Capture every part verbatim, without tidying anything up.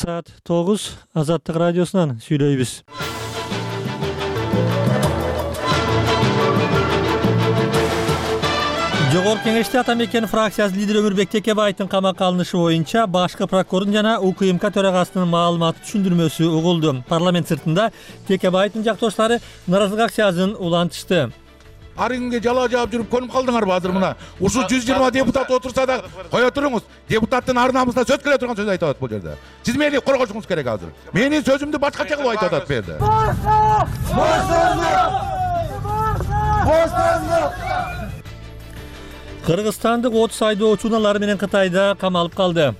Саат тогуз Азаттык радиосунан сүйлөйбүз. Жогорку Кеңеште Ата Мекен фракциясынын лидери Өмүрбек Текебаевдин камакка алынышы боюнча башкы прокурордун жана УКМК төрагасынын маалымат түшүндүрмөсү угулду. Парламент сыртында Текебаевдин жактоштары нааразылык акциясын улантышты. Ар күнгө жала жаап жүрүп көнүп калдыңарбы азыр мына? Ушул жүз жыйырма депутат отурса да кое туруңуз. Депутаттын ар намысына сөз келе турган сөз айтып атат бул жерде. Сиз мени коргошуңуз керек азыр. Менин сөзүмдү башкача кылып айтып атат бу жерде. Кыргызстандык отуз айдоочу унаалар менен Кытайда камалып калды.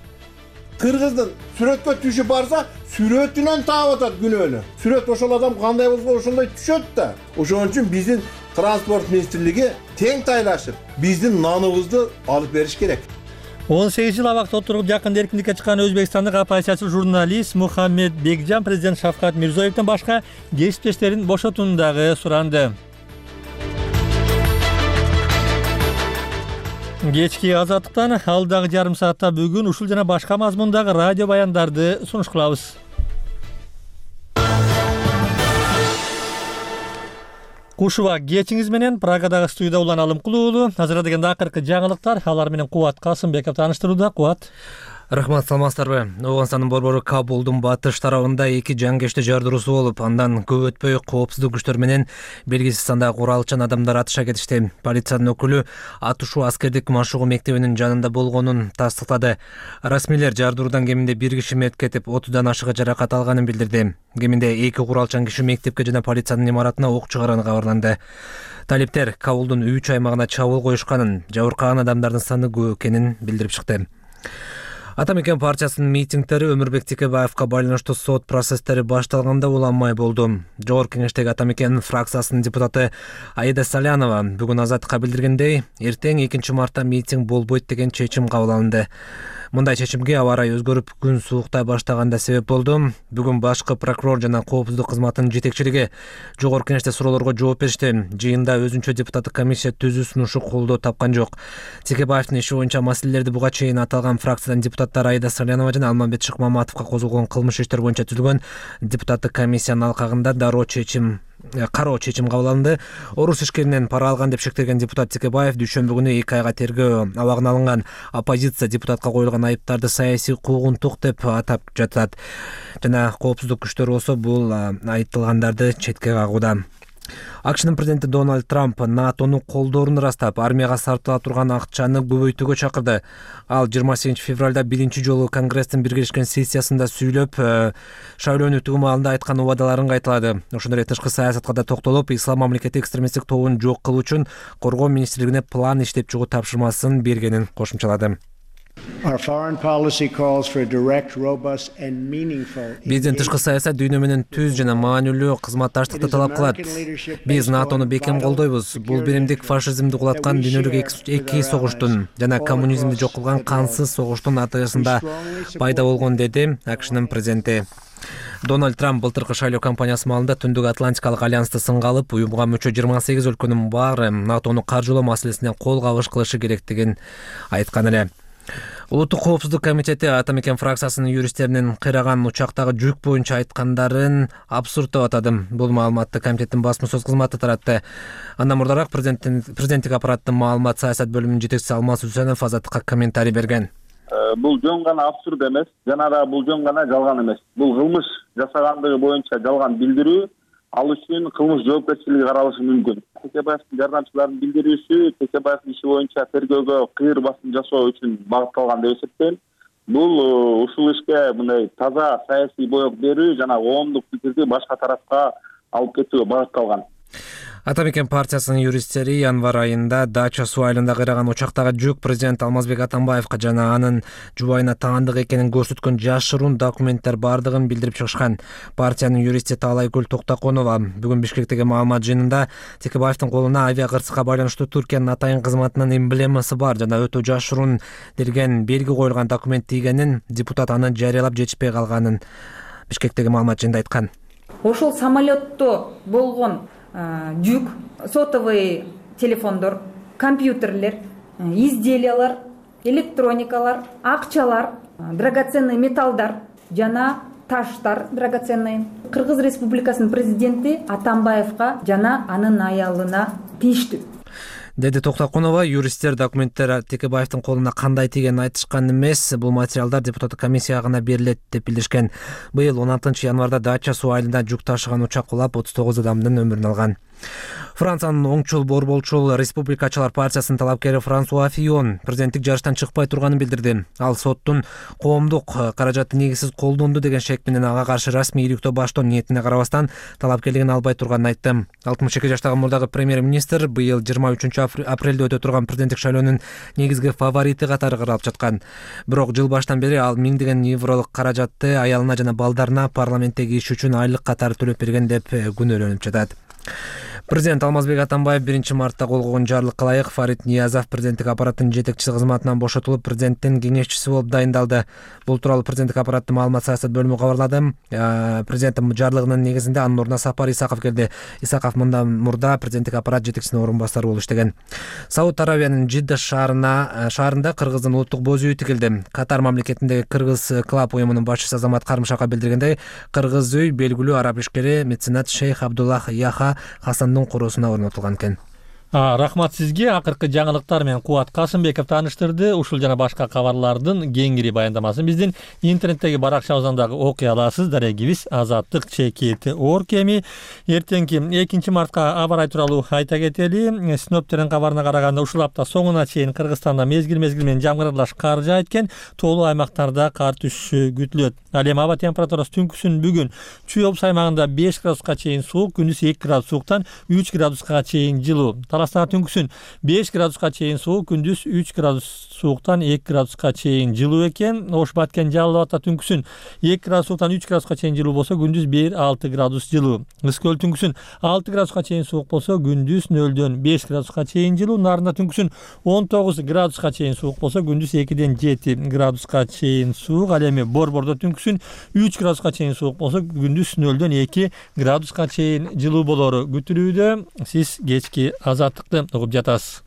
Кыргыздын сүрөткө түшүп барса, сүрөтүнөн таап атат күнөөнү. Сүрөт ошол адам кандай болсо ошондой түшөт да. Ошон үчүн биздин транспорт министрлиги тең тайлашып, биздин наныбызды алып бериш керек. он сегиз жыл абакта отуруп жакында эркиндикке чыккан өзбекстандык оппозициячы журналист Мухаммед Бекжан президент Шавкат Мирзиёевден башка кесиптештерин бошотууну дагы суранды. Кечки Азаттыктан алдагы жарым саатта бүгүн ушул жана башка мазмундагы радио баяндарды сунуш кылабыз. Кушуба кечиңиз менен Прагадагы студияда Улан Алымкулуу уулу. Азыр дегенде акыркы жаңылыктар, алар менен Кубат Касымбеков тааныштырууда. Кубат. Рахмат, саламатсыздарбы? Ооганстандын борбору Кабулдун батыш тарабында эки жангечти жардыруусу болуп, андан көп өтпөй коопсуздук күчтөр менен белгисиз сандагы куралчан адамдар атыша кетишти. Полициянын өкүлү атышуу аскердик машыгуу мектебинин жанында болгонун тастыктады. Расмийлер жардыруудан кеминде бир киши мерт кетип, отуздан ашыгы жаракат алганын билдирди. Кеминде эки куралчан киши мектепке жана полициянын имаратына ок чыгарганы кабарланды. Талиптер Кабулдун үч аймагына чабуул коюшканын, жабыркаган адамдардын саны көп экенин билдирип чыкты. Ата Мекен партиясынын митингдери Өмүрбек Текебаевка байланыштуу сот процесстери башталганда уланмай болду. Жогорку Кеңештеги Ата Мекен фракциясынын депутаты Аида Салянова бүгүн Азаттыкка билдиргендей, эртең экинчи мартта митинг болбойт деген чечим кабыл алынды. Мындай чечимге аба ырайы өзгөрүп, күн сууктай баштаганда себеп болду. Бүгүн башкы прокурор жана коопсуздук кызматынын жетекчилиги Жогорку Кеңеште суроолорго жооп беришти. Жыйында өзүнчө депутаттык комиссия түзүү сунушу колдоо тапкан жок. Текебаевдин иши боюнча маселелерди буга чейин аталган фракциядан депутаттар Аида Салянова жана Алмамбет Шыкмаматовго козголгон кылмыш иштер боюнча түзүлгөн депутаттык комиссиянын алкагында дароо чечим кароо чечим кабыл алынды. Орус ишкеринен пара алган деп шектелген депутат Текебаев дүйшөмбү күнү эки айга тергөө абагына алынган. Оппозиция депутатка коюлган айыптарды саясий куугунтук деп атап жатат. Жана коопсуздук күчтөр болсо бул айтылгандарды четке кагууда. АКШнын президенти Дональд Трамп НАТОну колдоорун ырастап, армияга сарптала турган акчаны көбөйтүүгө чакырды. Ал жыйырма сегизинчи февралда биринчи жолу Конгресстин биргелешкен сессиясында сүйлөп, шайлоонун өтүү маалында айткан убадаларын кайталады. Ошондой эле тышкы саясатка да токтолуп, Ислам мамлекети экстремисттик тобун жок кылуу үчүн коргоо министрлигине план иштеп чыгуу тапшырмасын бергенин кошумчалады. Биздин тышкы саясат дүйнө менен түз жана маанилүү кызматташтыкты талап кылат. Биз НАТОну бекем колдойбуз. Бул биримдик фашизмди кулаткан дүйнөлүк эки согуштун жана коммунизмди жок кылган кансыз согуштун натыйжасында пайда болгон, деди АКШнын президенти. Дональд Трамп былтыркы шайлоо кампаниясы маалында Түндүк Атлантикалык альянсты сынга алып, уюмга мүчө жыйырма сегиз өлкөнүн баары НАТОну каржылоо маселесинен кол кабыш кылышы керектигин айткан эле. Улуттук коопсуздук комитети Ата Мекен фракциясынын юристтеринин кыйраган учактагы жүк боюнча айткандарын абсурд деп атады. Бул маалыматты комитеттин басма сөз кызматы таратты. Андан мурдараак президенттик аппараттын маалымат саясат бөлүмүнүн жетекчиси Алмаз Үсөнов Азаттыкка комментарий берген. Бул жөн гана абсурд эмес, жана да бул жөн гана жалган эмес. Бул кылмыш жасагандыгы боюнча жалган билдирүү, ал үчүн кылмыш жоопкерчилиги каралышы мүмкүн. Текебаевдин жардамчыларынын билдирүүсү Текебаевдин иши боюнча тергөөгө кыйыр басым жасоо үчүн багытталган деп эсептейм. Бул ушул ишке мындай таза саясий боек берүү жана коомдук пикирди башка тарапка алып кетүүгө багытталган. Ата Мекен партиясынын юристтери январь айында Дача суу айылында кыйраган учактагы жүк президент Алмазбек Атамбаевка жана анын жубайына таандык экенин көрсөткөн жашыруун документтер бардыгын билдирип чыгышкан. Партиянын юристи Таалайгүл Токтоконова бүгүн Бишкектеги маалымат жыйынында Текебаевдин колуна авиа кырсыкка байланыштуу Түркиянын атайын кызматынын эмблемасы бар жана өтө жашыруун делген белги коюлган документ тийгенин, депутат аны жарыялап жетишпей калганын Бишкектеги маалымат жыйынында айткан. Ошол самолетто болгон жүк, сотовый телефондор, компьютерлер, изделиялар, электроникалар, акчалар, драгоценный металлдар жана таштар драгоценный. Кыргыз Республикасынын президенти Атамбаевга жана анын аялына тийиштүү, деди Токтокунова. Юристтер документтер Текебаевдин колуна кандай тигенин айтышкан эмес. Бул материалдар депутаттык комиссияга гана берилет деп билдиришкен. Быйыл он алтынчы январда Дача суу айылында жүк ташыган учак кулап отуз тогуз адамдын өмүрүн алган. Франциянын оңчул борболчул Республикачылар партиясынын талапкери Франсуа Фион президенттик жарыштан чыкпай турганын билдирди. Ал соттун коомдук каражатты негизсиз колдонду деген шек менен ага каршы расмий иликтөө баштоо ниетине карабастан талапкерлигин албай турганын айтты. алтымыш эки жаштагы мурдагы премьер-министр быйыл жыйырма үчүнчү апрелде өтө турган президенттик шайлоонун негизги фаворити катары каралып жаткан. Бирок жыл баштан бери ал миңдеген евролук каражатты аялына жана балдарына парламенттеги иш үчүн айлык катары төлөп берген деп күнөөлөнүп жатат. Президент Алмазбек Атамбаев биринчи мартта кол койгон жарлыкка ылайык Фарид Ниязов президенттик аппараттын жетекчиси кызматынан бошотулуп президенттин кеңешчиси болуп дайындалды. Бул тууралуу президенттик аппараттын маалымат саясат бөлүмү кабарлады. Президенттин жарлыгынын негизинде анын ордуна Сапар Исаков келди. Исаков мындан мурда президенттик аппарат жетекчисинин орун басары болуп иштеген. Сауд Аравиянын Жидда шаарына шаарында Кыргыздын улуттук боз үйү тигилди. Катар мамлекетиндеги Кыргыз клаб уюмунун башчысы Азамат Карымшакка билдиргендей, Кыргыз үй белгилүү араб ишкери меценат Шейх Абдуллах Яха Хасандын короосуна орнотулган экен. Рахмат сизге. Акыркы жаңылыктар менен Кубат Касымбеков тааныштырды. Ушул жана башка кабарлардын кеңири баяндамасын биздин интернеттеги баракчабыздан дагы окуй аласыз. Дарегибиз азаттык чекити орг эми. Эртеңки экинчи мартка аба ырайы тууралуу айта кетели. Синоптиктердин кабарына караганда ушул апта соңуна чейин Кыргызстанда мезгил-мезгил менен жамгырлаш кар жаайт экен. Тоолуу аймактарда кар түшүшү күтүлөт. Ал эми аба температурасы түнкүсүн бүгүн Чүй облус аймагында беш градуска чейин суук, күндүз эки градус сууктан үч градуска чейин жылуу. Таластагы түнкүсүн беш градуска чейин суук, күндүз үч градус сууктан эки градуска чейин жылуу экен. Ош Баткен Жалал Абадта түнкүсүн эки градус сууктан үч градуска чейин жылуу болсо, күндүз бир алты градус жылуу. Ыскөл түнкүсүн алты градуска чейин суук болсо, күндүз нөлдөн беш градуска чейин жылуу. Нарында түнкүсүн он тогуз градуска чейин суук болсо, күндүз экиден жети градуска чейин суук. Ал эми Борбордо түнкүсүн үч градуска чейин суук болсо, күндүз нөлдөн эки градуска чейин жылуу болору күтүлүүдө. Сиз кечки азаттыкты угуп жатасыз.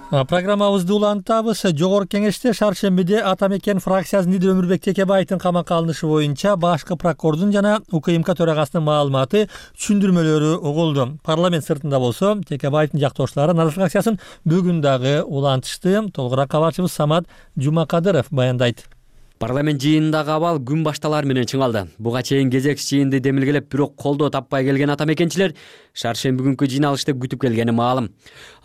Программабызды улантабыз. Жогорку Кеңеште шаршембиде Атамекен фракциясынын лидери Өмүрбек Текебаевдин камакка алынышы боюнча башкы прокурордун жана УКМК төрагасынын маалыматы, түшүндүрмөлөрү угулду. Парламент сыртында болсо Текебаевдин жактоошчулары Нара фракциясын бүгүн дагы улантышты. Толугураак кабарчыбыз Самат Жумакадыров баяндайт. Парламент жыйынындагы абал күн башталар менен чыңалды. Буга чейин кезек жыйынды демилгелеп, бирок колдоо таппай келген атамекенчилер шаршемби күнкү жыйналышты күтүп келгени маалым.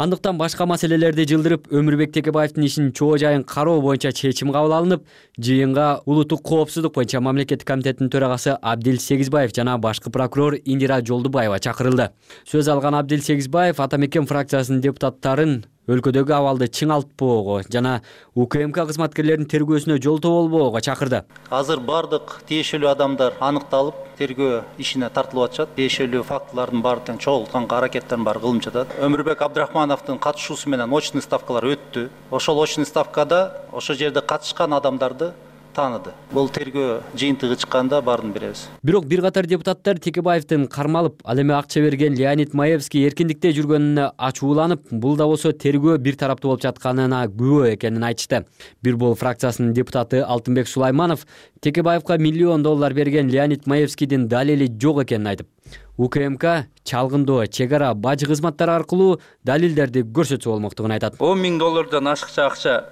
Андыктан башка маселелерди жылдырып, Өмүрбек Текебаевдин ишин чоо жайын кароо боюнча чечим кабыл алынып, жыйынга улуттук коопсуздук боюнча мамлекеттик комитеттин төрагасы Абдил Сегизбаев жана башкы прокурор Индира Жолдубаева чакырылды. Сөз алган Абдил Сегизбаев Атамекен фракциясынын депутаттарын өлкөдөгү абалды чыңалтпоого жана УКМК кызматкерлеринин тергөөсүнө жолтоо болбоого чакырды. Азыр бардык тиешелүү адамдар аныкталып, тергөө ишине тартылып атышат. Тиешелүү фактылардын баардыгын чогултканга аракеттерин баары кылынып жатат. Өмүрбек Абдрахмановдун катышуусу менен очный ставкалар өттү. Ошол очный ставкада ошо жерде катышкан адамдарды тааныды. Бул тергөө жыйынтыгы чыкканда баарын беребиз. Бирок бир катар депутаттар Текебаевдин кармалып, ал эми акча берген Леонид Маевский эркиндикте жүргөнүнө ачууланып, бул да болсо тергөө бир тараптуу болуп жатканына күбө экенин айтышты. Бир бол фракциясынын депутаты Алтынбек Сулайманов Текебаевга миллион доллар берген Леонид Маевскийдин далили жок экенин айтып, УКМК чалгындоо, чек ара, бажы кызматтары аркылуу далилдерди көрсөтсө болмоктугун айтат. он миң доллардан ашыкча акча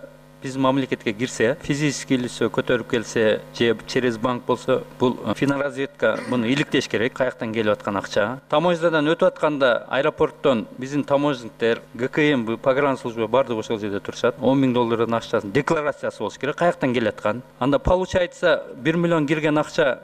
биз мамлекетке кирсе, физический лицо көтөрүп келсе, же через банк болсо, бул финразведка муну иликтеш керек, каяктан келип аткан акча. Таможнядан өтүп атканда аэропорттон биздин таможниктер, ГКМ, погранслужба бардыгы ошол жерде турушат. он миң доллардан акчасын декларациясы болуш керек, каяктан келип аткан. Анда получается бир миллион кирген акча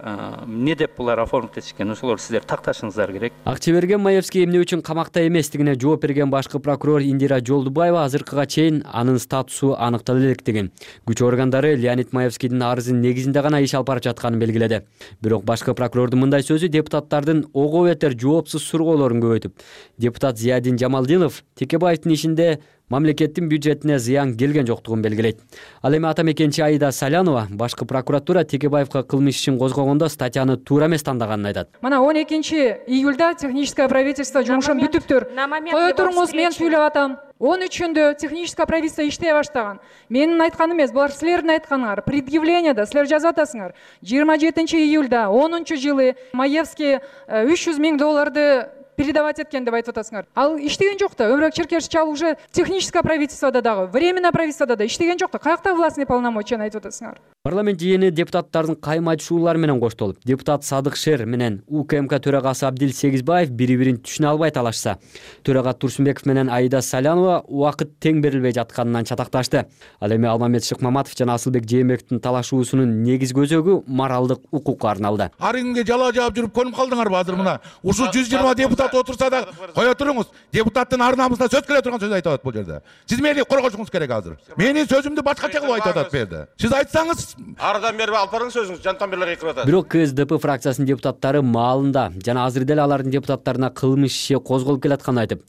эмне деп булар оформить этишкен, ошолор сиздер такташыңыздар керек. Акча берген Маевский эмне үчүн камакта эместигине жооп берген башкы прокурор Индира Жолдубаева азыркыга чейин анын статусу аныкталды деген. Күч органдары Леонид Маевскийдин арызын негизинде гана иш алып барып жатканын белгиледи. Бирок башкы прокурордун мындай сөзү депутаттардын ого бетер жоопсуз сургоолорун көбөйтүп. Депутат Зиядин Жамалдинов Текебаевдин ишинде мамлекеттин бюджетине зыян келген жоктугун белгилейт. Ал эми атамекенчи Аида Салянова башкы прокуратура Текебаевка кылмыш ишин козгогондо статьяны туура эмес тандаганын айтат. Мына он экинчи июльда техническое правительство жумушун бүтүптүр. Кое туруңуз, мен сүйлөп атам. он үчүндө техническое правительство иштей баштаган. Менин айтканым эмес, булар силердин айтканыңар. Предъявлениеда силер жазып атасыңар. жыйырма жетинчи июльда онунчу жылы Маевский үч жүз миң долларды передавать эткен деп айтып атасыңар. Ал иштеген жок да. Өмүрөк Черкешевич ал уже техническое правительстводо дагы, временное правительстводо да иштеген жок да. Каякта властный полномочияны айтып атасыңар. Парламент жыйыны депутаттардын кайма айтышуулары менен коштолуп, депутат Садык Шер менен УКМК төрагасы Абдил Сегизбаев бири-бирин түшүнө албай талашса, төрага Турсунбеков менен Аида Салянова убакыт тең берилбей жатканынан чатакташты. Ал эми Алмамет Шыкмаматов жана Асылбек Жээнбековдун талашуусунун негизги өзөгү моралдык укукка арналды. Ар күнгө жала жаап жүрүп конуп калдыңарбы азыр мына? Ушул жүз жыйырма депутат отурса да кое туруңуз. Депутаттын ар намысына сөз келе турган сөз айтып атат бул жерде. Сиз мени коргошуңуз керек азыр. Менин сөзүмдү башкача кылып айтып атат бу жерде. Сиз айтсаңыз Ардан бери алып барыңыз сөзүңүз, жантан бери кыйкырып атат. Бирок КСДП фракциясынын депутаттары маалында жана азыр деле алардын депутаттарына кылмыш иши козголуп келатканын айтып,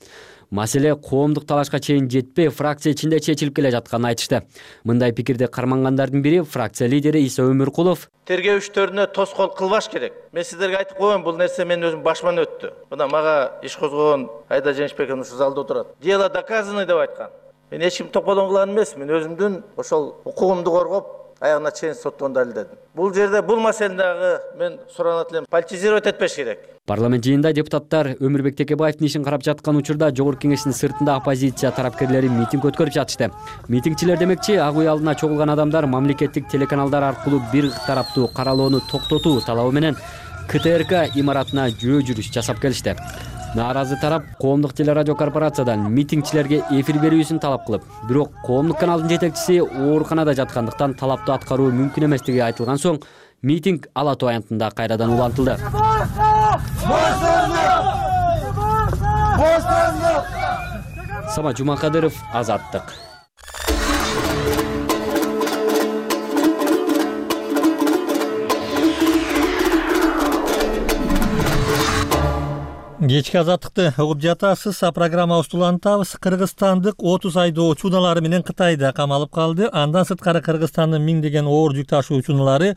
маселе коомдук талашка чейин жетпей, фракция ичинде чечилип келе жатканын айтышты. Мындай пикирди кармангандардын бири фракция лидери Иса Өмүркулов. Тергөө иштөрүнө тоскоол кылбаш керек. Мен сиздерге айтып коеюн, бул нерсе менин өзүм башыман өттү. Мына мага иш козгогон Аида Жээнбекова ушу залда отурат. Дело доказано деп айткан. Мен эч ким топодон кылган эмес, мен өзүмдүн ошол укугумду коргоп, аягына чейин соттон далилдедим. Бул жерде бул маселени дагы мен суранат элем, политизировать этпеш керек. Парламент жыйынында депутаттар Өмүрбек Текебаевдин ишин карап жаткан учурда Жогорку Кеңештин сыртында оппозиция тарапкерлери митинг өткөрүп жатышты. Митингчилер демекчи, ак үй алдына чогулган адамдар мамлекеттик телеканалдар аркылуу бир тараптуу каралоону токтотуу талабы менен КТРК имаратына жөө жүрүш жасап келишти. Нааразы тарап коомдук телерадио корпорациядан митингчилерге эфир берүүсүн талап кылып, бирок коомдук каналдын жетекчиси ооруканада жаткандыктан талапты аткаруу мүмкүн эместиги айтылган соң, митинг ала тоо аянтында кайрадан улантылды. Самат Жумакадыров, Азаттык. Кечки Азаттыкты угуп жатасыз. Программабызды улантабыз. Кыргызстандык отуз айдоочу унаалары менен Кытайда камалып калды. Андан сырткары Кыргызстандын миңдеген оор жүк ташуучу унаалары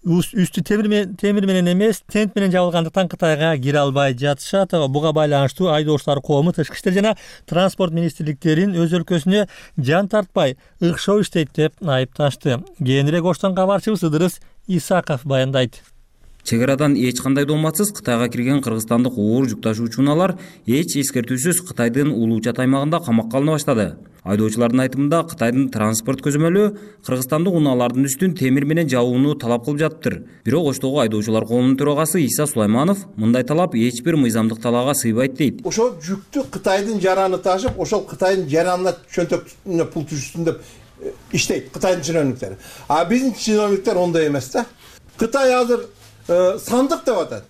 үстү темир менен эмес, тент менен жабылгандыктан Кытайга кире албай жатышат. Буга байланыштуу айдоочулар коому Тышкы иштер жана транспорт министрликтерин өз өлкөсүнө жан тартпай ыкшоо иштейт деп айыпташты. Кийинирээк Оштон кабарчыбыз Ыдырыс Исаков баяндайт. Чек арадан эч кандай дооматсыз Кытайга кирген кыргызстандык оор жүк ташуучу унаалар эч эскертүүсүз Кытайдын улуу чат аймагында камакка алына баштады. Айдоочулардын айтымында Кытайдын транспорт көзөмөлү кыргызстандык унаалардын үстүн темир менен жабууну талап кылып жатыптыр. Бирок Оштогу айдоочулар коомунун төрагасы Иса Сулайманов мындай талап эч бир мыйзамдык талаага сыйбайт дейт. Ошол жүктү Кытайдын жараны ташып, ошол Кытайдын жаранына чөнтөкүнө пул түшсүн деп иштейт Кытайдын чиновниктери. А биздин чиновниктер ондай эмес да. Кытай азыр сандык деп атат.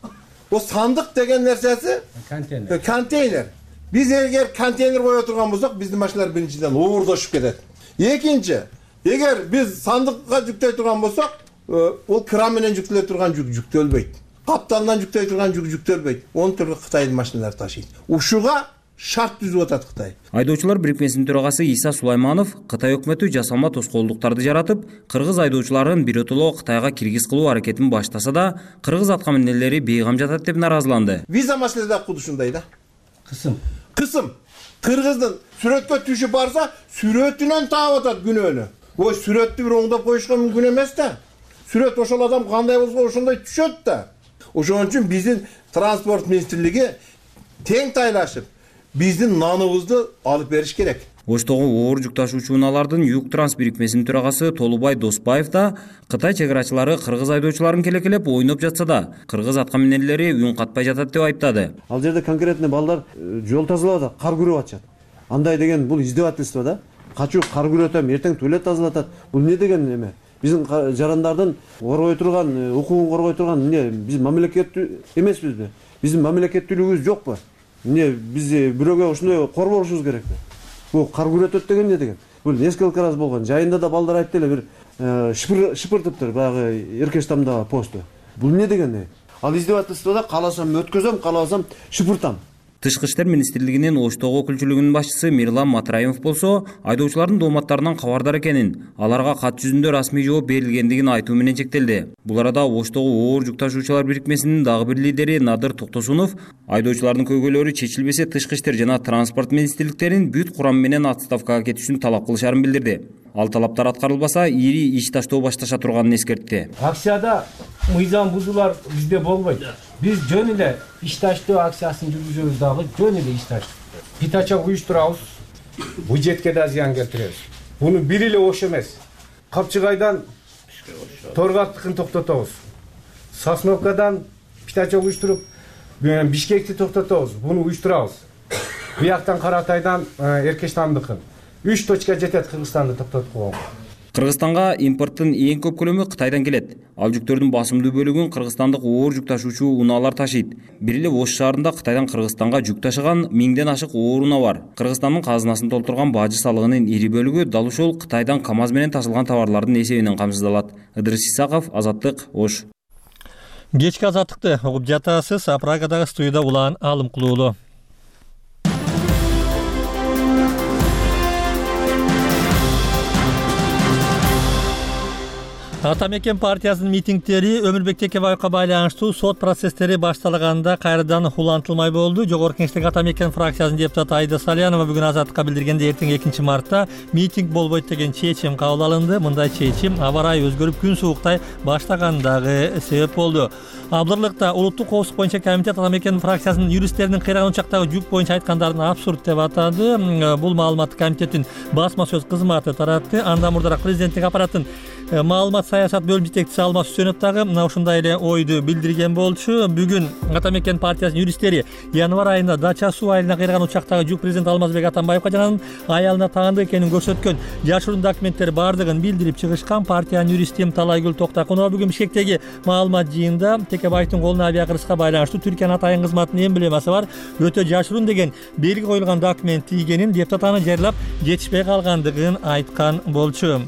О сандык деген нерсеси контейнер. Контейнер. Биз эгер контейнер кое турган болсок, биздин машиналар биринчиден оордошуп кетет. Экинчи, эгер биз сандыкка жүктөй турган болсок, ол кран менен жүктөлө турган жүк жүктөлбөйт. Каптандан жүктөй турган жүк жүктөлбөйт. Оны түргө Кытайдын машиналары ташыйт. Ушуга шарт түзүп атат Кытай. Айдоочулар бирикмесинин төрагасы Иса Сулайманов Кытай өкмөтү жасалма тоскоолдуктарды жаратып, кыргыз айдоочуларын биротоло Кытайга киргиз кылуу аракетин баштаса да, кыргыз аткаминерлери бейгам жатат деп наразыланды. Виза маселеси да куду ушундай да. Кысым. Кысым. Кыргыздын сүрөткө түшүп барса, сүрөтүнөн таап атат күнөөнү. Ой, сүрөттү бир оңдоп коюшка мүмкүн эмес да. Сүрөт ошол адам кандай болсо ошондой түшөт да. Ошон үчүн биздин транспорт министрлиги тең тайлашып биздин наныбызды алып бериш керек. Оштогу оор жүк ташуучу унаалардын Юг Транс бирикмесинин төрагасы Толубай Доспаев да Кытай чек-арачылары кыргыз айдоочуларын келекелеп ойноп жатса да, кыргыз аткаминерлери үн катпай жатат деп айыптады. Ал жерде конкретно балдар жол тазалап атат, кар күрөп атышат. Андай деген бул издевательство да. Качуу кар күрөтөм, эртең туалет тазалатат. Бул не деген эме? Биздин жарандардын коргой турган, укугун коргой турган эмне? Биз мамлекеттүү эмеспизби? Биздин мамлекеттүүлүгүбүз жокпу? Эмне биз бирөөгө ушундай корбошубуз керекпи? Бул кар күрөтөт деген не деген? Бул несколько раз болгон. Жайында да балдар айтты эле, бир шыпыр шыпыртыптыр баягы Эркештамдагы посту. Бул не деген? Ал издевательствода кааласам өткөзөм, кааласам шыпыртам. Тышкы иштер министрлигинин Оштогу өкүлчүлүгүнүн башчысы Мирлан Матраимов болсо айдоочулардын дооматтарынан кабардар экенин, аларга кат жүзүндө расмий жооп берилгендигин айтуу менен чектелди. Бул арада Оштогу оор жүк ташуучулар бирикмесинин дагы бир лидери Надыр Токтосунов айдоочулардын көйгөйлөрү чечилбесе тышкы иштер жана транспорт министрликтерин бүт курамы менен отставкага кетишин талап кылышарын билдирди. Ал талаптар аткарылбаса ири иш таштоо башташа турганын эскертти. Акцияда мыйзам бузуулар бизде болбойт. Биз жөн эле иш таштоо акциясын жүргүзөбүз дагы жөн эле иш таштоо. Питачак уюштурабыз, бюджетке да зыян келтиребиз. Буну бир эле ош эмес. Капчыгайдан Торгаттыкын токтотобуз. Сосновкадан питачак уюштуруп, Бишкекти токтотобуз. Буну уюштурабыз. Бияктан Каратайдан Эркештандыкын. үч точка жетет Кыргызстанды токтотуп койгон. Кыргызстанга импорттун эң көп көлөмү Кытайдан келет. Ал жүктөрдүн басымдуу бөлүгүн кыргызстандык оор жүк ташуучу унаалар ташыйт. Бир эле Ош шаарында Кытайдан Кыргызстанга жүк ташыган миңден ашык оор унаа бар. Кыргызстандын казынасын толтурган бажы салыгынын ири бөлүгү дал ушул Кытайдан КАМАЗ менен ташылган товарлардын эсебинен камсыздалат. Ыдырыс Исаков, Азаттык, Ош. Кечки азаттыкты угуп жатасыз. Прагадагы студияда Улан Алымкулуулу. Ата мекен партиясынын митингдери Өмүрбек Текебаевга байланыштуу сот процесстери башталганда кайрадан улантылмай болду. Жогорку Кеңештеги Ата мекен фракциясынын депутаты Айда Салянова бүгүн Азаттыкка билдиргендей, эртең экинчи мартта митинг болбойт деген чечим кабыл алынды. Мындай чечим аба ырайы өзгөрүп күн сууктай баштагандагы себеп болду. Абдырлыкта улуттук коопсуздук боюнча комитет Ата мекен фракциясынын юристтеринин кыйраган учактагы жүк боюнча айткандарын абсурд деп атады. Бул маалыматты комитеттин басма сөз кызматы таратты. Андан мурдараак президенттик аппараттын маалымат саясат бөлүм жетекчиси Алмаз Үсөнов дагы мына ушундай эле ойду билдирген болчу. Бүгүн Ата мекен партиясынын юристтери январь айында Дача суу айылына кыйраган учактагы жүк президент Алмазбек Атамбаевга жана анын аялына таандык экенин көрсөткөн жашыруун документтер бардыгын билдирип чыгышкан. Партиянын юристи Талайгүл Токтакунова бүгүн Бишкектеги маалымат жыйынында Текебаевдин колуна авиакыргызга байланыштуу Түркиянын атайын кызматынын эмблемасы бар өтө жашыруун деген белги коюлган документ тийгенин, депутат аны жарыялап жетишпей калгандыгын айткан болчу.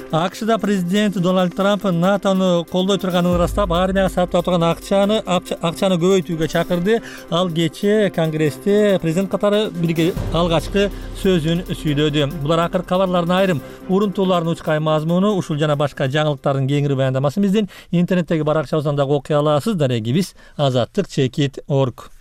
АКШда президент Дональд Трамп НАТОну колдой турганын ырастап, армияга сарптап турган акчаны акчаны көбөйтүүгө чакырды. Ал кечээ Конгрессте президент катары бирге алгачкы сөзүн сүйлөдү. Булар акыркы кабарлардын айрым урунтууларынын учкай мазмуну. Ушул жана башка жаңылыктардын кеңири баяндамасын биздин интернеттеги баракчабыздан дагы окуй аласыз. Дарегибиз азаттык чекит точка орг.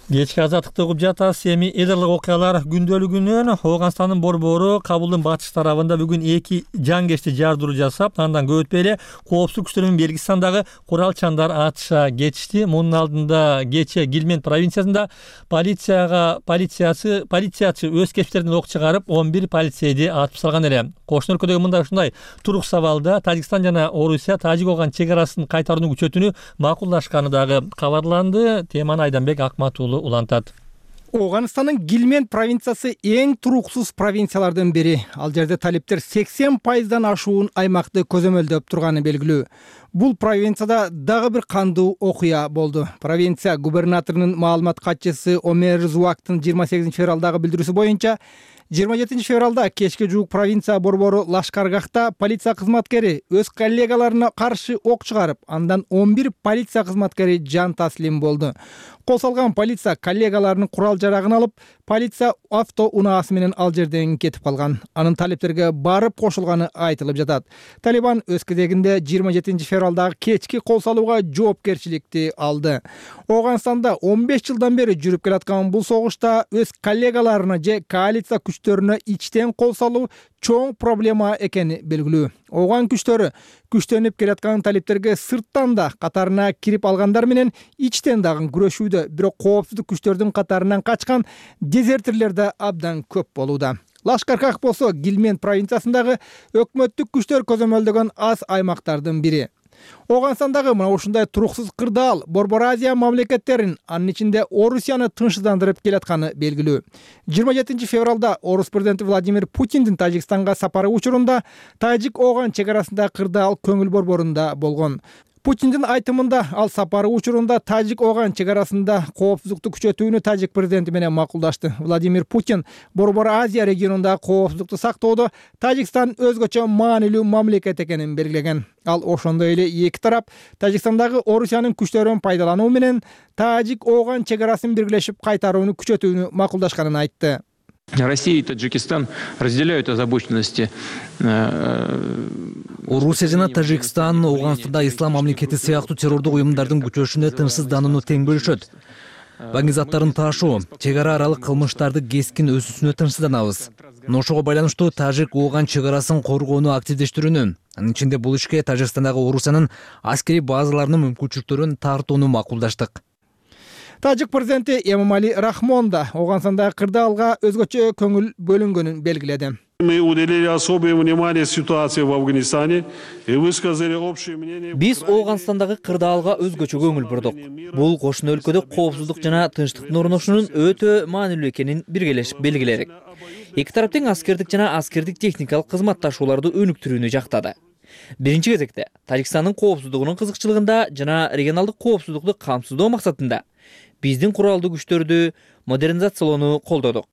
Кечки азаттыкты угуп жатасыз. Эми эдерлик окуялар күндөлүгүнөн Ооганстандын борбору Кабулдун батыш тарабында бүгүн эки жангечти жардыруу жасап, андан көп өтпөй эле коопсуздук күчтөрүнүн Белгистандагы куралчандар атыша кетишти. Мунун алдында кечээ Гилмент провинциясында полицияга полициясы полициячы өз кесиптеринен ок чыгарып, он бир полицейди атып салган эле. Кошуна өлкөдөгү мындай ушундай турук сабалда Тажикстан жана Орусия Тажик-Ооган чек арасын кайтарууну күчөтүүнү макулдашканы дагы кабарланды. Теманы Айданбек Акматуулу улантат. Ооганстандын Гилмент провинциясы эң туруксуз провинциялардын бири. Ал жерде талиптер сексен пайыздан ашуун аймакты көзөмөлдөп турганы белгилүү. Бул провинцияда дагы бир кандуу окуя болду. Провинция губернаторунун маалымат катчысы Омер Зуактын жыйырма сегизинчи февралдагы билдирүүсү боюнча жыйырма жетинчи февралда кечке жуук провинция борбору Лашкаргахта полиция кызматкери өз коллегаларына каршы ок чыгарып, андан он бир полиция кызматкери жан таслим болду. Кол салган полиция коллегаларынын курал жарагын алып, полиция авто унаасы менен ал жерден кетип калган. Анын талиптерге барып кошулганы айтылып жатат. Талибан өз кезегинде жыйырма жетинчи февралдагы кечки кол салууга жоопкерчиликти алды. Ооганстанда он беш жылдан бери жүрүп келаткан бул согушта өз коллегаларына же коалиция күчтөрүнө ичтен кол салуу чоң проблема экени белгилүү. Ооган күчтөрү күчтөнүп келаткан талиптерге сырттан да катарына кирип алгандар менен ичтен дагы күрөшүүдө, бирок коопсуздук күчтөрдүн катарынан качкан дезертирлер да абдан көп болууда. Лашкаргах болсо Гилмент провинциясындагы өкмөттүк күчтөр көзөмөлдөгөн аз аймактардын бири. Ооганстандагы мына ушундай туруксуз кырдаал Борбор Азия мамлекеттерин, анын ичинде Орусияны тынчсыздандырып келатканы белгилүү. жыйырма жетинчи февралда Орус президенти Владимир Путиндин Тажикстанга сапары учурунда Тажик-Ооган чек арасындагы кырдаал көңүл борборунда болгон. Путиндин айтымында ал сапары учурунда Тажик-Оган чек арасында коопсуздукту күчөтүүнү Тажик президенти менен макулдашты. Владимир Путин Борбор Азия регионунда коопсуздукту сактоодо Тажикстан өзгөчө маанилүү мамлекет экенин белгилеген. Ал ошондой эле эки тарап Тажикстандагы Орусиянын күчтөрүн пайдалануу менен Тажик-Оган чек арасын биргелешип кайтарууну күчөтүүнү макулдашканын айтты. Россия и Таджикистан разделяют озабоченности. Орусия жана Тажикстан Ооганстанда ислам мамлекети сыяктуу террордук уюмдардын күчөшүнө тынчсызданууну тең бөлүшөт. Баңгизаттарын таашуу, чек ара аралык кылмыштарды кескин өсүүсүнө тынчсызданабыз. Ошого байланыштуу Тажик-Оган чек арасын коргоону активдештирүүнү, анын ичинде бул ишке Тажикстандагы Орусиянын аскерий базаларынын мүмкүнчүлүктөрүн тартууну макулдаштык. Тажик президенти Эмомали Рахмон да Ооганстандагы кырдаалга өзгөчө көңүл бөлүнгөнүн белгиледи. Мы уделили особое внимание ситуации в Афганистане и высказали общее мнение. Биз Ооганстандагы кырдаалга өзгөчө көңүл бурдук. Бул кошуна өлкөдө коопсуздук жана тынчтыктын орношуунун өтө маанилүү экенин биргелешип белгиледик. Эки тарап тең аскердик жана аскердик техникалык кызматташууларды өнүктүрүүнү жактады. Биринчи кезекте Тажикстандын коопсуздугунун кызыкчылыгында жана регионалдык коопсуздукту камсыздоо максатында биздин куралдуу күчтөрдү модернизациялоону колдодук.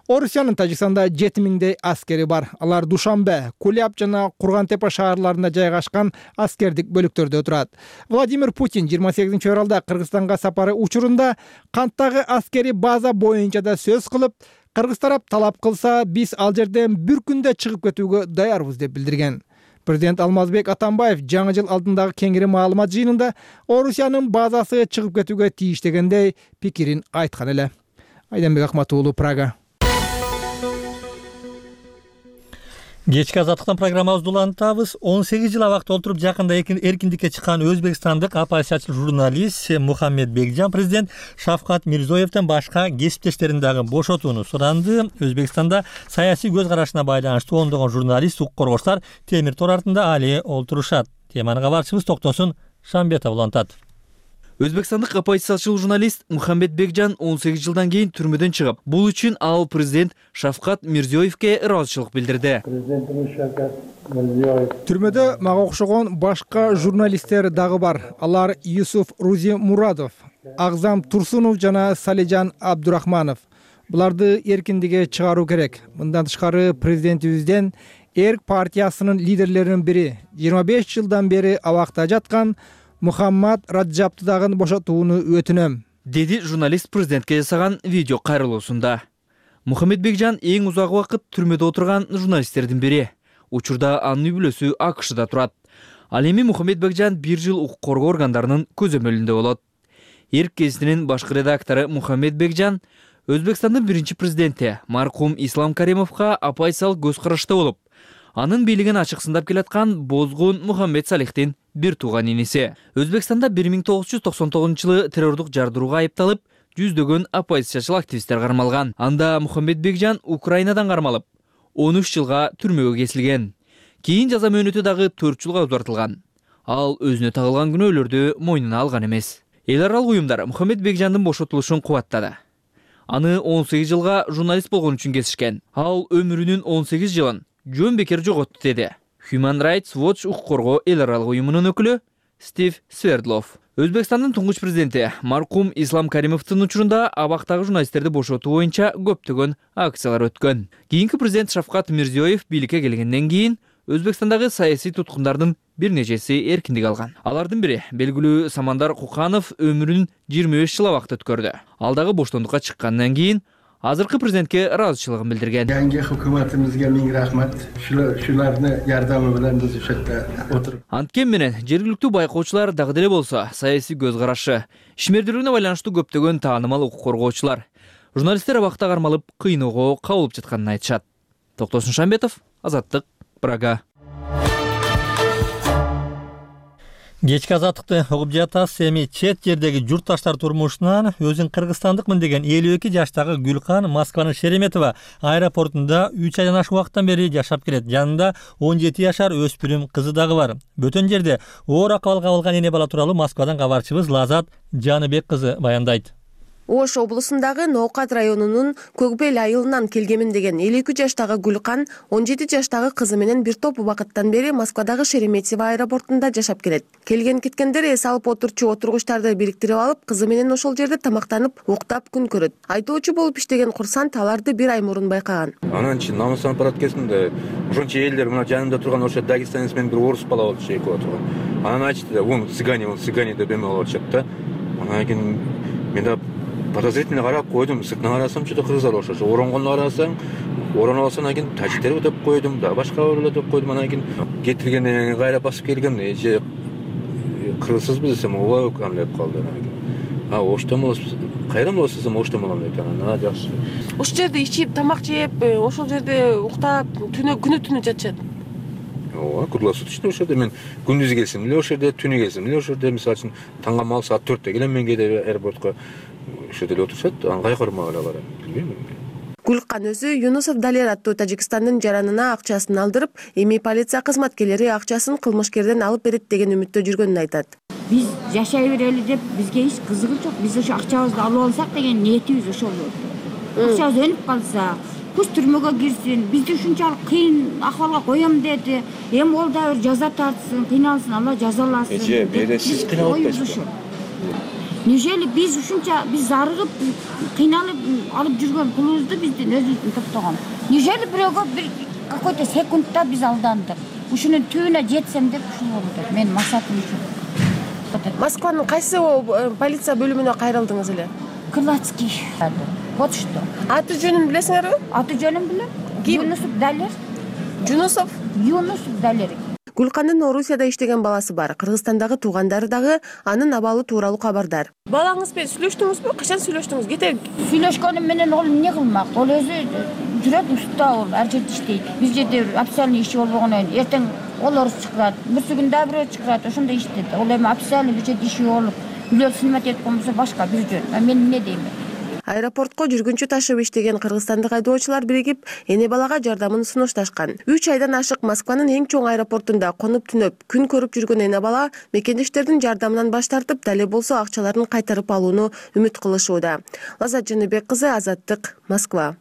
Орусиянын Тажикстанда жети миңдей аскери бар. Алар Душанбе, Куляб жана Кургантепе шаарларында жайгашкан аскердик бөлүктөрдө турат. Владимир Путин жыйырма сегизинчи февралда Кыргызстанга сапары учурунда канттагы аскери база боюнча да сөз кылып, кыргыз тарап талап кылса, биз ал жерден бир күндө чыгып кетүүгө даярбыз деп билдирген. Президент Алмазбек Атамбаев жаңы жыл алдындагы кеңири маалымат жыйынында Орусиянын базасы чыгып кетүүгө тийиш дегендей пикирин айткан эле. Айданбек Акматуулу, Прага. Кечки азаттыктан программабызды улантабыз. он сегиз жыл абакта отуруп жакында эркиндикке чыккан өзбекстандык оппозициячыл журналист Мухаммед Бекжан президент Шавкат Мирзиёевден башка кесиптештерин дагы бошотууну суранды. Өзбекстанда саясий көз карашына байланыштуу ондогон журналист, укук коргоочулар темир тор артында али олтурушат. Теманы кабарчыбыз Токтосун Шамбетов улантат. Өзбекстандык оппозициячыл журналист Мухаммед Бекжан он сегиз жылдан кийин түрмөдөн чыгып, бул үчүн ал президент Шавкат Мирзиёевке ыраазычылык билдирди. Түрмөдө мага окшогон башка журналисттер дагы бар. Алар Юсуф Рузи Мурадов, Агзам Турсунов жана Салижан Абдурахманов. Буларды эркиндикке чыгаруу керек. Мындан тышкары президентибизден Эрк партиясынын лидерлеринин бири жыйырма беш жылдан бери абакта жаткан Мухаммад Раджапты дагы бошотууну өтүнөм, деди журналист президентке жасаган видео кайрылуусунда. Мухаммед Бекжан эң узак убакыт түрмөдө отурган журналисттердин бири. Учурда анын үй бүлөсү АКШда турат. Ал эми Мухаммед Бекжан бир жыл укук коргоо органдарынын көзөмөлүндө болот. Эрк гезитинин башкы редактору Мухаммед Бекжан Өзбекстандын биринчи президенти маркум Ислам Каримовго оппозициялык көз карашта болуп, анын бийлигин ачык сындап келаткан Бозгун Мухаммед Салихтин бир тууган иниси. Өзбекстанда бир миң тогуз жүз токсон тогузунчу жылы террордук жардырууга айыпталып, жүздөгөн оппозициячыл активисттер кармалган. Анда Мухаммед Бекжан Украинадан кармалып, он үч жылга түрмөгө кесилген. Кийин жаза мөөнөтү дагы төрт жылга узартылган. Ал өзүнө тагылган күнөөлөрдү мойнуна алган эмес. Эл аралык уюмдар Мухаммед Бекжандын бошотулушун кубаттады. Аны он сегиз жылга журналист болгон үчүн кесишкен. Ал өмүрүнүн он сегиз жылын жөн бекер жоготту деди Human Rights Watch укук коргоо эл аралык уюмунун өкүлү Стив Свердлов. Өзбекстандын туңгуч президенти маркум Ислам Каримовдун учурунда абактагы журналисттерди бошотуу боюнча көптөгөн акциялар өткөн. Кийинки президент Шавкат Мирзиёев бийликке келгенден кийин Өзбекстандагы саясий туткундардын бир нечеси эркиндик алган. Алардын бири белгилүү Самандар Куканов өмүрүн жыйырма беш жыл абакта өткөрдү. Ал дагы боштондукка чыккандан кийин азыркы президентке ыраазычылыгын билдирген. Yangi hukumatimizga ming rahmat. Shularni yordami bilan biz o'sha yerda o'tirib. Анткен менен жергиликтүү байкоочулар дагы деле болсо саясий көз карашы, ишмердүүлүгүнө байланыштуу көптөгөн таанымал укук коргоочулар журналисттер абакта кармалып, кыйноого кабылып жатканын айтышат. Токтосун Шамбетов, Азаттык, Прага. Кечки азаттыкты угуп жатасыз. Эми чет жердеги журтташтар турмушунан өзүн кыргызстандыкмын деген элүү эки жаштагы Гүлкан Москванын Шереметова аэропортунда үч айдан ашык убакыттан бери жашап келет. Жанында он жети жашар өспүрүм кызы дагы бар. Бөтөн жерде оор акыбалга алган эне бала тууралуу Москвадан кабарчыбыз Лазат Жаныбек кызы баяндайт. Ош облусундагы Ноокат районунун Көкбел айылынан келгемин деген элүү эки жаштагы Гүлкан он жети жаштагы кызы менен бир топ убакыттан бери Москвадагы Шереметьево аэропортунда жашап келет. Келген кеткендер эс алып отурчу отургучтарды бириктирип алып, кызы менен ошол жерде тамактанып, уктап күн көрөт. Айдоочу болуп иштеген курсант аларды бир ай мурун байкаган. Анан чын намыстанып барат экенсиң, ошончо элдер мына жанымда турган ошо дагестанец менен бир орус бала болчу, эки бала турган. Анан айтышты да, "Вон цыгане, вон цыгане" деп эме болуп атышат да. Анан кийин мен да подозрительно карап койдум, сыртынан карасам чөтө кыргыздар окшош. Оронгону карасаң, ороно алсаң, анан кийин тажиктер деп койдум да, башка бирөө деп койдум. Анан кийин кетиргенден кайра басып келгем, эже кыргызсызбы десем, ооба экен деп калды. А оштон болосуз, кайдан болосуз десем, оштон болом дейт. Анан жакшы. Ошол жерде ичип, тамак жеп, ошол жерде уктап, түнү күнү түнү жатышат. Ооба, круглосуточно ошол жерде мен күндүз келсем эле ошол жерде, түнү келсем эле ошол жерде, мисалы үчүн таңга мал саат төрттө келем мен кээде аэропортко. Ошол жерде отурушат, аңгай кормак эле барам, билбейм. Гүлкан өзү Юнусов Далер аттуу Тажикстандын жаранына акчасын алдырып, эми полиция кызматкерлери акчасын кылмышкерден алып берет деген үмүттө жүргөнүн айтат. Биз жашай берели деп бизге эч кызыгы жок. Биз ошо акчабызды алып алсак деген ниетибиз ошол болду. Акчабыз өлүп калса, куш түрмөгө кирсин, бизди ушунчалык кыйын акыбалга коем деди. Эми ол да бир жаза тартсын, кыйналсын, Алла жазаласын. Эже, бере сиз кыйналып атпайсызбы? Нежели биз ушунча биз зарыгып, кыйналып алып жүргөн пулубузду биздин өзүбүздүн топтогон. Нежели бирөөгө бир какой-то секундта биз алдандык. Ушунун түбүнө жетсем деп ушул болду. Менин максатым ушу. Москванын кайсы полиция бөлүмүнө кайрылдыңыз эле? Крылатский. Вот что. Аты жөнүн билесиңерби? Аты жөнүн билем. Юнусов Далер. Жунусов? Юнусов Далер. Гүлкандын Орусияда иштеген баласы бар. Кыргызстандагы туугандары дагы анын абалы тууралуу кабардар. Балаңыз менен сүйлөштүңүзбү? Качан сүйлөштүңүз? Кете Сүйлөшкөнүм менен ол эмне кылмак? Ол өзү жүрөт устта, ол ар жерде иштейт. Биз жерде официальный иши болбогондон эртең ол орус чыгарат, бүрсү күн да бирөө чыгарат, ошондой иштейт. Ол эми официальный бир жерде иши болуп, үйлөр сынмат этип коймосо башка бир жөн. Мен эмне дейм? Аэропортко жүргүнчү ташып иштеген кыргызстандык айдоочулар биригип, эне балага жардамын сунушташкан. үч айдан ашык Москванын эң чоң аэропортунда конуп түнөп, күн көрүп жүргөн эне бала мекендештердин жардамынан баш тартып, дале болсо акчаларын кайтарып алууну үмүт кылышууда. Лазат Жаныбек кызы, Азаттык, Москва.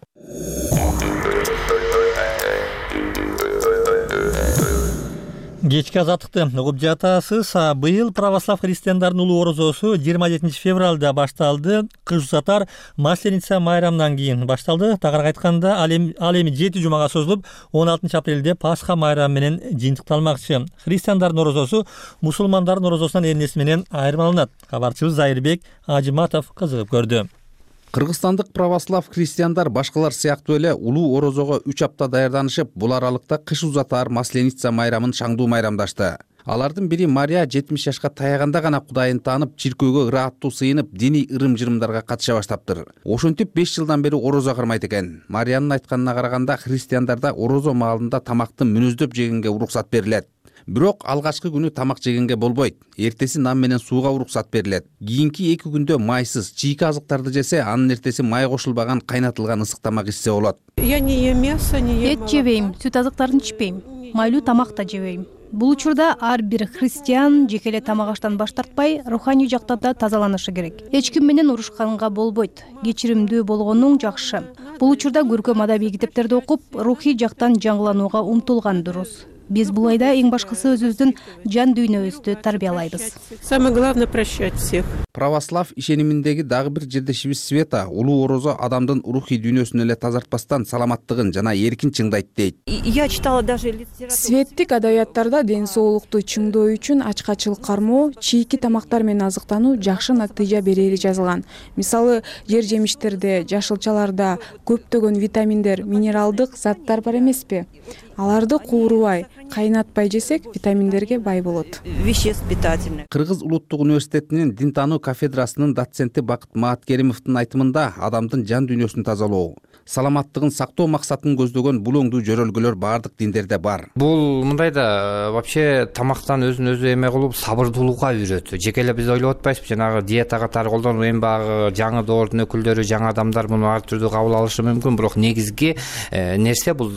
Кечки азаттыкты угуп жатасыз. Быйыл православ христиандардын улуу орозосу жыйырма жетинчи февралда башталды. Кыш узатар Масленица майрамынан кийин башталды. Тагыраак айтканда, ал эми жети жумага созулуп, он алтынчы апрелде Пасха майрамы менен жыйынтыкталмакчы. Христиандардын орозосу мусулмандардын орозосунан эмнеси менен айырмаланат? Кабарчыбыз Зайырбек Ажыматов кызыгып көрдү. Кыргызстандык православ христиандар башкалар сыяктуу эле улуу орозого үч апта даярданышып, бул аралыкта кыш узатаар Масленица майрамын шаңдуу майрамдашты. Алардын бири Мария жетимиш жашка таяганда гана Кудайын таанып, чиркөөгө ырааттуу сыйынып, диний ырым-жырымдарга катыша баштаптыр. Ошентип беш жылдан бери орозо кырмайт экен. Мариянын айтканына караганда, христиандарда орозо маалында тамакты мүнөздөп жегенге уруксат берилет. Бирок алгачкы күнү тамак жегенге болбойт. Эртеси нан менен сууга уруксат берилет. Кийинки эки күндө майсыз, чийки азыктарды жесе, анын эртеси май кошулбаган кайнатылган ысык тамак ичсе болот. Я не ем мясо, не ем. Эт жебейм, сүт азыктарын ичпейм. Майлуу тамак да жебейм. Бул учурда ар бир христиан жеке эле тамак аштан баш тартпай, руханий жактан да тазаланышы керек. Эч ким менен урушканга болбойт. Кечиримдүү болгонуң жакшы. Бул учурда көркөм адабий китептерди окуп, рухий жактан жаңыланууга умтулган дурус. Биз бул айда эң башкысы өзүбүздүн жан дүйнөбүздү тарбиялайбыз. Самое главное прощать всех. Православ ишениминдеги дагы бир жердешибиз Света улуу орозо адамдын рухий дүйнөсүн эле тазартпастан саламаттыгын жана эркин чыңдайт дейт. Я читала даже литературу. Светтик адабияттарда ден соолукту чыңдоо үчүн ачкачылык кармоо, чийки тамактар менен азыктануу жакшы натыйжа берери жазылган. Мисалы, жер жемиштерде, жашылчаларда көптөгөн витаминдер, минералдык заттар бар эмеспи? Аларды куурубай, кайнатпай жесек, витаминдерге бай болот. Веществ питательных. Кыргыз улуттук университетинин дин таануу кафедрасынын доценти Бакыт Мааткеримовдун айтымында адамдын жан дүйнөсүн тазалоо, саламаттыгын сактоо максатын көздөгөн бул оңдуу жөрөлгөлөр баардык диндерде бар. Бул мындай да вообще тамактан өзүн өзү эме кылып сабырдуулукка үйрөтүү. Жеке эле биз ойлоп атпайсызбы, жанагы диета катары колдонуп, эми багы жаңы доордун өкүлдөрү, жаңы адамдар муну ар түрдүү кабыл алышы мүмкүн, бирок негизги нерсе бул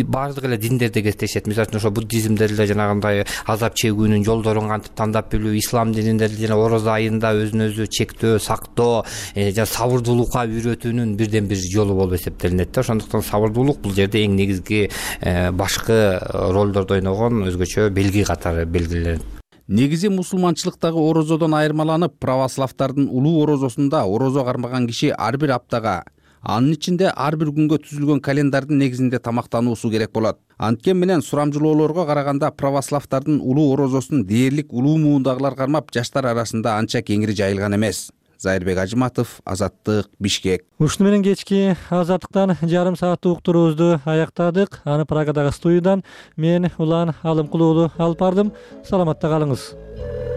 баардык эле диндерде кездешет. Мисалы цивилизациясында ошо буддизмде деле жанагындай азап чегүүнүн жолдорун кантип тандап билүү, ислам дининде деле жана орозо айында өзүн өзү чектөө, сактоо, жана сабырдуулукка үйрөтүүнүн бирден бир жолу болуп эсептелинет да. Ошондуктан сабырдуулук бул жерде эң негизги башкы ролдорду ойногон өзгөчө белги катары белгиленет. Негизи мусулманчылыктагы орозодон айырмаланып, православдардын улуу орозосунда орозо кармаган киши ар бир аптага, анын ичинде ар бир күнгө түзүлгөн календардын негизинде тамактануусу керек болот. Анткен менен сурамжылоолорго караганда православдардын улуу орозосун дээрлик улуу муундагылар кармап, жаштар арасында анча кеңири жайылган эмес. Зайырбек Ажыматов, Азаттык, Бишкек. Ушуну менен кечки Азаттыктан жарым сааттык уктуруубузду аяктадык. Аны Прагадагы студиядан мен Улан Алымкулуулу алып бардым. Саламатта калыңыз.